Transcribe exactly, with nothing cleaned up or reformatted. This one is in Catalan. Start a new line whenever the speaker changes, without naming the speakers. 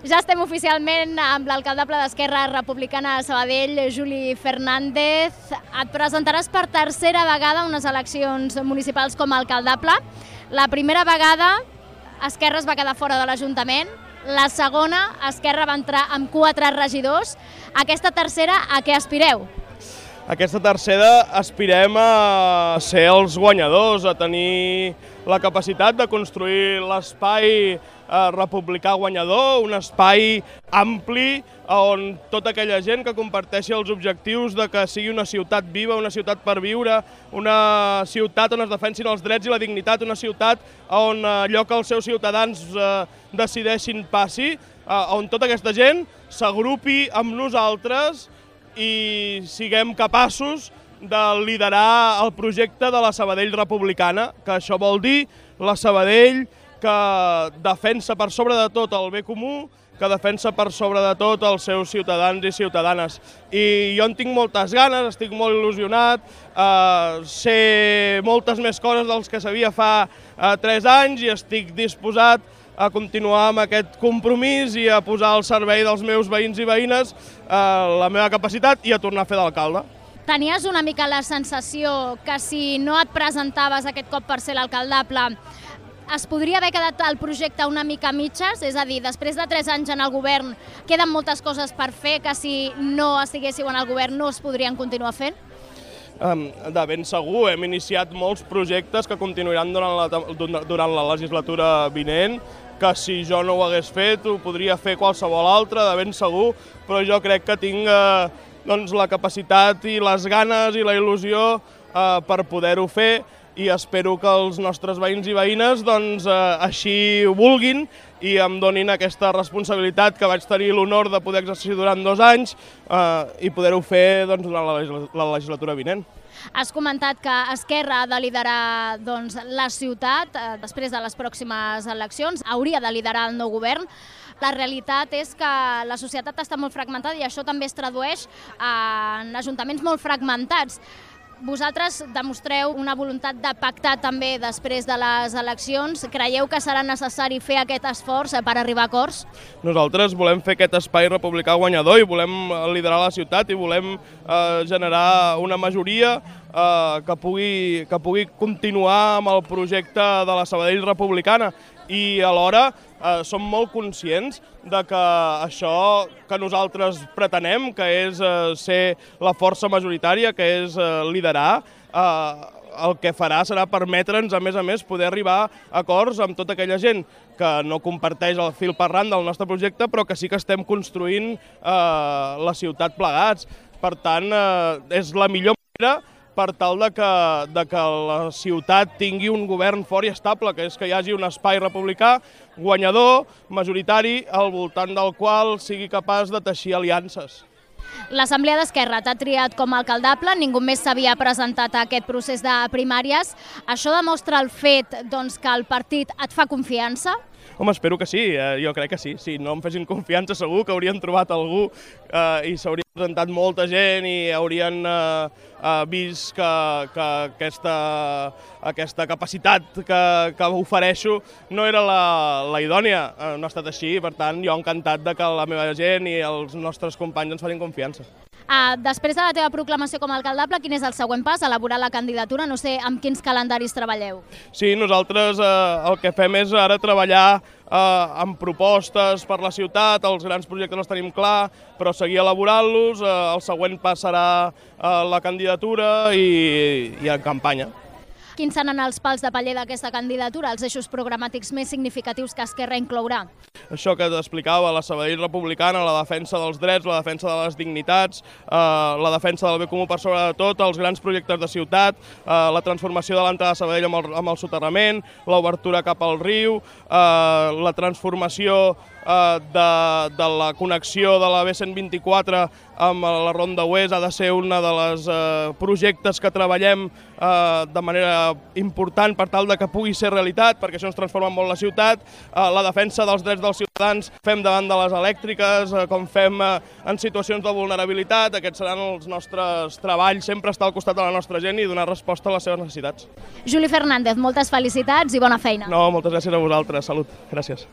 Ja estem oficialment amb l'alcaldable d'Esquerra Republicana de Sabadell, Juli Fernández. Et presentaràs per tercera vegada a unes eleccions municipals com a alcaldable. La primera vegada Esquerra es va quedar fora de l'Ajuntament, la segona Esquerra va entrar amb quatre regidors. Aquesta tercera, a què aspireu?
Aquesta tercera aspirem a ser els guanyadors, a tenir la capacitat de construir l'espai republicà guanyador, un espai ampli on tota aquella gent que comparteixi els objectius de que sigui una ciutat viva, una ciutat per viure, una ciutat on es defensin els drets i la dignitat, una ciutat on allò que els seus ciutadans decideixin passi, on tota aquesta gent s'agrupi amb nosaltres i siguem capaços de liderar el projecte de la Sabadell republicana, que això vol dir la Sabadell que defensa per sobre de tot el bé comú, que defensa per sobre de tot els seus ciutadans i ciutadanes. I jo en tinc moltes ganes, estic molt il·lusionat, eh, sé moltes més coses dels que sabia fa eh, tres anys i estic disposat a continuar amb aquest compromís i a posar al servei dels meus veïns i veïnes eh, la meva capacitat i a tornar a fer d'alcalde.
Tenies una mica la sensació que si no et presentaves aquest cop per ser l'alcaldable es podria haver quedat el projecte una mica a mitges? És a dir, després de tres anys en el govern queden moltes coses per fer que si no estiguéssiu en el govern no es podrien continuar fent?
De ben segur, hem iniciat molts projectes que continuaran durant la, durant la legislatura vinent, que si jo no ho hagués fet ho podria fer qualsevol altre, de ben segur, però jo crec que tinc eh, doncs, la capacitat i les ganes i la il·lusió eh, per poder-ho fer i espero que els nostres veïns i veïnes doncs, eh, així ho vulguin i em donin aquesta responsabilitat que vaig tenir l'honor de poder exercir durant dos anys eh, i poder-ho fer doncs, durant la, la legislatura vinent.
Has comentat que Esquerra ha de liderar doncs, la ciutat eh, després de les pròximes eleccions, hauria de liderar el nou govern. La realitat és que la societat està molt fragmentada i això també es tradueix en ajuntaments molt fragmentats. Vosaltres demostreu una voluntat de pactar també després de les eleccions. Creieu que serà necessari fer aquest esforç per arribar a acords?
Nosaltres volem fer aquest espai republicà guanyador i volem liderar la ciutat i volem eh, generar una majoria eh, que pugui, que pugui continuar amb el projecte de la Sabadell republicana. I alhora eh, som molt conscients de que això que nosaltres pretenem, que és eh, ser la força majoritària, que és eh, liderar, eh, el que farà serà permetre'ns, a més a més, poder arribar a acords amb tota aquella gent que no comparteix el fil per ran del nostre projecte, però que sí que estem construint eh, la ciutat plegats. Per tant, eh, és la millor manera per tal de que, de que la ciutat tingui un govern fort i estable, que és que hi hagi un espai republicà guanyador, majoritari, al voltant del qual sigui capaç de teixir aliances.
L'Assemblea d'Esquerra t'ha triat com a alcaldable, ningú més s'havia presentat a aquest procés de primàries. Això demostra el fet doncs, que el partit et fa confiança?
Home, espero que sí, eh, jo crec que sí. Si no em fessin confiança segur que haurien trobat algú eh, i s'hauria presentat molta gent i haurien eh, eh, vist que, que aquesta, aquesta capacitat que, que ofereixo no era la, la idònia. Eh, no ha estat així, per tant, jo encantat de que la meva gent i els nostres companys ens facin confiança.
Uh, després de la teva proclamació com a alcaldable, quin és el següent pas? Elaborar la candidatura? No sé amb quins calendaris treballeu.
Sí, nosaltres eh, el que fem és ara treballar eh, amb propostes per la ciutat, els grans projectes els tenim clar, però seguir elaborant-los, eh, el següent pas serà eh, la candidatura i, i en campanya.
Quins seran els pals de paller d'aquesta candidatura, els eixos programàtics més significatius que Esquerra inclourà?
Això que t'explicava, la Sabadell republicana, la defensa dels drets, la defensa de les dignitats, eh, la defensa del bé comú per sobre de tot, els grans projectes de ciutat, eh, la transformació de l'entrada de Sabadell amb el, amb el soterrament, l'obertura cap al riu, eh, la transformació eh, de, de la connexió de la B cent vint-i-quatre amb la Ronda Oest ha de ser un dels eh, projectes que treballem eh, de manera important per tal de que pugui ser realitat, perquè això ens transforma molt la ciutat, eh, la defensa dels drets dels ciutadans fem davant de les elèctriques, eh, com fem eh, en situacions de vulnerabilitat, aquests seran els nostres treballs, sempre estar al costat de la nostra gent i donar resposta a les seves necessitats.
Juli Fernández, moltes felicitats i bona feina.
No, moltes gràcies a vosaltres, salut, gràcies.